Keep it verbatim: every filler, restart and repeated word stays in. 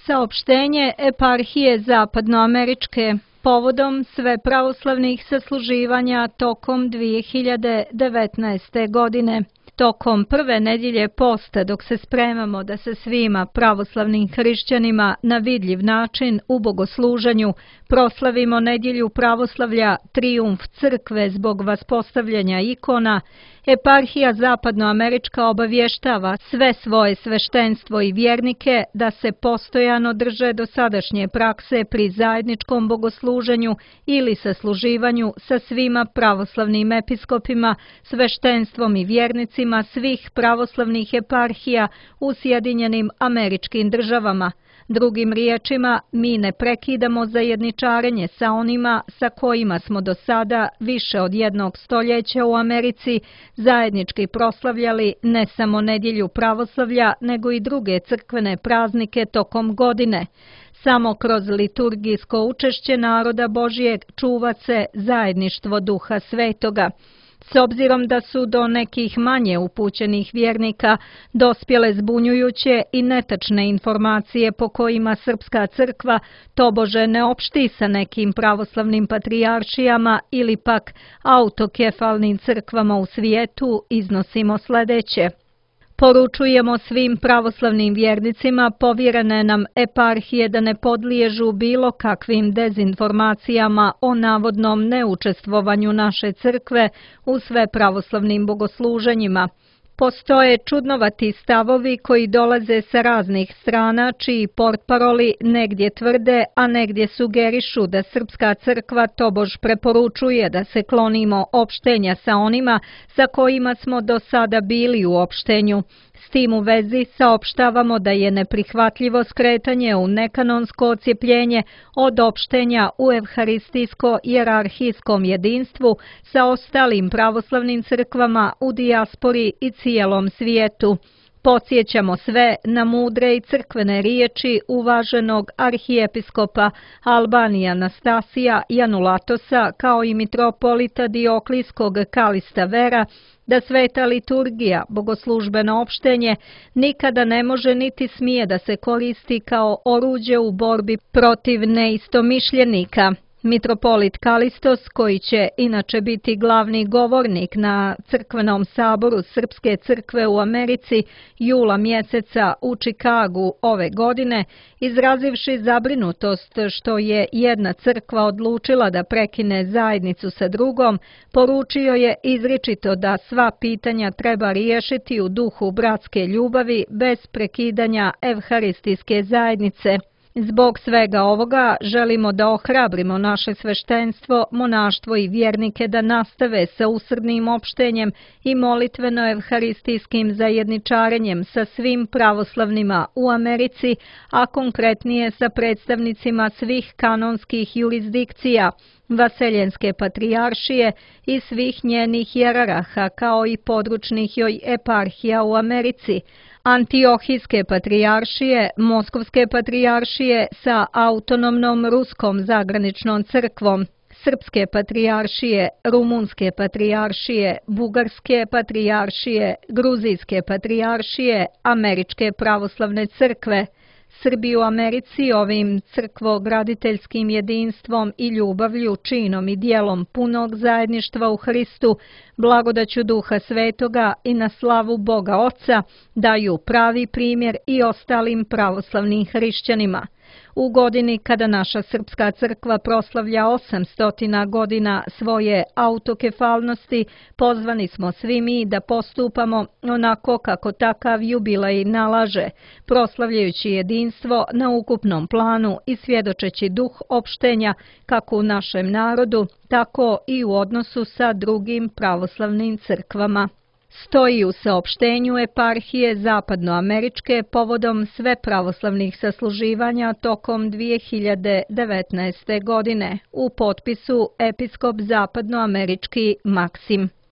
Saopštenje eparhije Zapadnoameričke povodom sve pravoslavnih sasluživanja tokom dvije hiljade devetnaeste. godine. Tokom prve nedjelje posta, dok se spremamo da se svima pravoslavnim hrišćanima na vidljiv način u bogosluženju proslavimo nedjelju pravoslavlja, trijumf crkve zbog vaspostavljanja ikona, eparhija Zapadnoamerička obavještava sve svoje sveštenstvo i vjernike da se postojano drže dosadašnje prakse pri zajedničkom bogosluženju ili sasluživanju sa svima pravoslavnim episkopima, sveštenstvom i vjernicima svih pravoslavnih eparhija u Sjedinjenim Američkim Državama. Drugim riječima, mi ne prekidamo zajedničarenje sa onima sa kojima smo do sada više od jednog stoljeća u Americi zajednički proslavljali ne samo nedjelju pravoslavlja, nego i druge crkvene praznike tokom godine. Samo kroz liturgijsko učešće naroda Božijeg čuva se zajedništvo Duha Svetoga. S obzirom da su do nekih manje upućenih vjernika dospjele zbunjujuće i netačne informacije po kojima Srpska crkva tobože ne opšti sa nekim pravoslavnim patrijaršijama ili pak autokefalnim crkvama u svijetu, iznosimo sljedeće. Poručujemo svim pravoslavnim vjernicima povjerene nam eparhije da ne podliježu bilo kakvim dezinformacijama o navodnom neučestvovanju naše crkve u sve pravoslavnim bogosluženjima. Postoje čudnovati stavovi koji dolaze sa raznih strana, čiji portparoli negdje tvrde, a negdje sugerišu da Srpska crkva tobož preporučuje da se klonimo opštenja sa onima sa kojima smo do sada bili u opštenju. S tim u vezi saopštavamo da je neprihvatljivo skretanje u nekanonsko ocijepljenje od opštenja u evharistijsko-jerarhijskom jedinstvu sa ostalim pravoslavnim crkvama u dijaspori i cijelom svijetu. Podsjećamo sve na mudre i crkvene riječi uvaženog arhijepiskopa Albanije Anastasija Janulatosa kao i mitropolita Dioklijskog Kalista Vera da sveta liturgija, bogoslužbeno opštenje, nikada ne može niti smije da se koristi kao oruđe u borbi protiv neistomišljenika. Mitropolit Kalistos, koji će inače biti glavni govornik na crkvenom saboru Srpske crkve u Americi jula mjeseca u Čikagu ove godine, izrazivši zabrinutost što je jedna crkva odlučila da prekine zajednicu sa drugom, poručio je izričito da sva pitanja treba riješiti u duhu bratske ljubavi bez prekidanja evharistijske zajednice. Zbog svega ovoga želimo da ohrabrimo naše sveštenstvo, monaštvo i vjernike da nastave sa usrdnim opštenjem i molitveno-evharistijskim zajedničarenjem sa svim pravoslavnima u Americi, a konkretnije sa predstavnicima svih kanonskih jurisdikcija, Vaseljenske patrijaršije i svih njenih jeraraha kao i područnih joj eparhija u Americi, Antiohijske patrijaršije, Moskovske patrijaršije sa autonomnom ruskom zagraničnom crkvom, Srpske patrijaršije, Rumunske patrijaršije, Bugarske patrijaršije, Gruzijske patrijaršije, Američke pravoslavne crkve. Srbi u Americi ovim crkvograditeljskim jedinstvom i ljubavlju, činom i dijelom punog zajedništva u Hristu, blagodaću Duha Svetoga i na slavu Boga Oca daju pravi primjer i ostalim pravoslavnim hrišćanima. U godini kada naša Srpska crkva proslavlja osamsto godina svoje autokefalnosti, pozvani smo svi mi da postupamo onako kako takav jubilej nalaže, proslavljajući jedinstvo na ukupnom planu i svjedočeći duh opštenja kako u našem narodu, tako i u odnosu sa drugim pravoslavnim crkvama. Stoji u saopštenju eparhije Zapadnoameričke povodom sve pravoslavnih sasluživanja tokom dvije hiljade devetnaeste. godine u potpisu episkop Zapadnoamerički Maksim.